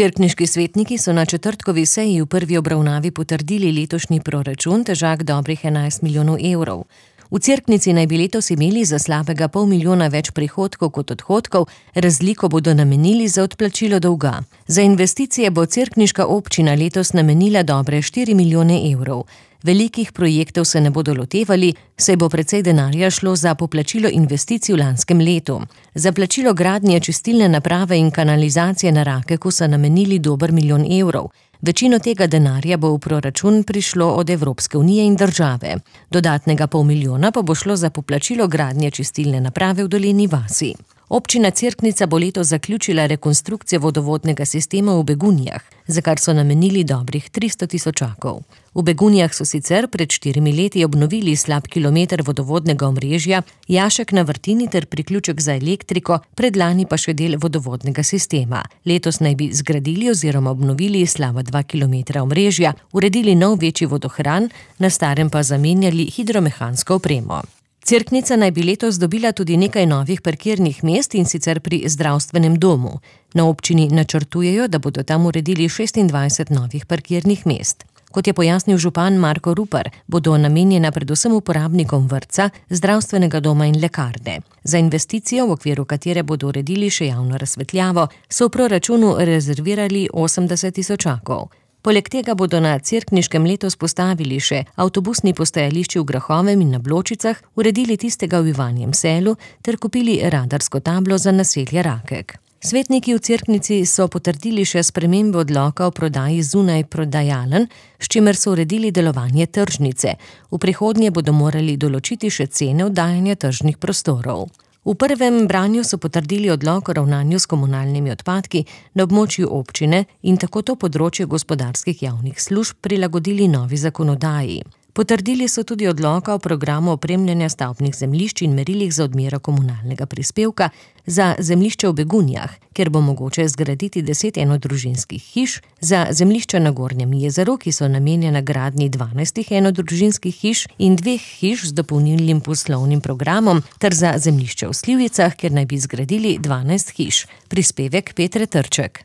Cerkniški svetniki so na četrtkovi seji v prvi obravnavi potrdili letošnji proračun, težak dobrih 11 milijonov evrov. V Cerknici naj bi letos imeli za slabega $500 milijona več prihodkov kot odhodkov, razliko bodo namenili za odplačilo dolga. Za investicije bo cerkniška občina letos namenila dobre 4 milijone evrov. Velikih projektov se ne bodo lotevali, saj bo precej denarja šlo za poplačilo investicij v lanskem letu. Za plačilo gradnje čistilne naprave in kanalizacije na Rakeku so namenili dober milijon evrov. Večino tega denarja bo v proračun prišlo od Evropske unije in države. Dodatnega $500 milijona pa bo šlo za poplačilo gradnje čistilne naprave v Dolenji vasi. Občina Cerknica bo letos zaključila rekonstrukcijo vodovodnega sistema v Begunjah, za kar so namenili dobrih 300 tisočakov. V Begunjah so sicer pred 4 leti obnovili slab kilometer vodovodnega omrežja, jašek na vrtini ter priključek za elektriko, predlani pa še del vodovodnega sistema. Letos naj bi zgradili oziroma obnovili slaba 2 kilometra omrežja, uredili nov večji vodohran, na starem pa zamenjali hidromehansko opremo. Cerknica naj bi letos dobila tudi nekaj novih parkirnih mest, in sicer pri zdravstvenem domu. Na občini načrtujejo, da bodo tam uredili 26 novih parkirnih mest. Kot je pojasnil župan Marko Rupar, bodo namenjena predvsem uporabnikom vrtca, zdravstvenega doma in lekarne. Za investicijo, v okviru katere bodo uredili še javno razsvetljavo, so v proračunu rezervirali 80 tisočakov. Poleg tega bodo na Cerkniškem letos postavili še avtobusni postajališči v Grahovem in na Bločicah, uredili tistega v Ivanjem Selu ter kupili radarsko tablo za naselje Rakek. Svetniki v Cerknici so potrdili še spremembo odloka o prodaji zunaj prodajaln, s čimer so uredili delovanje tržnice. V prihodnje bodo morali določiti še cene oddajanja tržnih prostorov. V prvem branju so potrdili odlok o ravnanju s komunalnimi odpadki na območju občine in tako to področje gospodarskih javnih služb prilagodili novi zakonodaji. Potrdili so tudi odloka o programu opremljanja stavbnih zemljišč in merilih za odmero komunalnega prispevka za zemljišče v Begunjah, kjer bo mogoče zgraditi 10 enodružinskih hiš, za zemljišča na Gornjem jezeru, ki so namenjena gradnji 12 enodružinskih hiš in 2 hiš z dopolnilnim poslovnim programom, ter za zemljišče v Slivicah, kjer naj bi zgradili 12 hiš. Prispevek Petre Trček.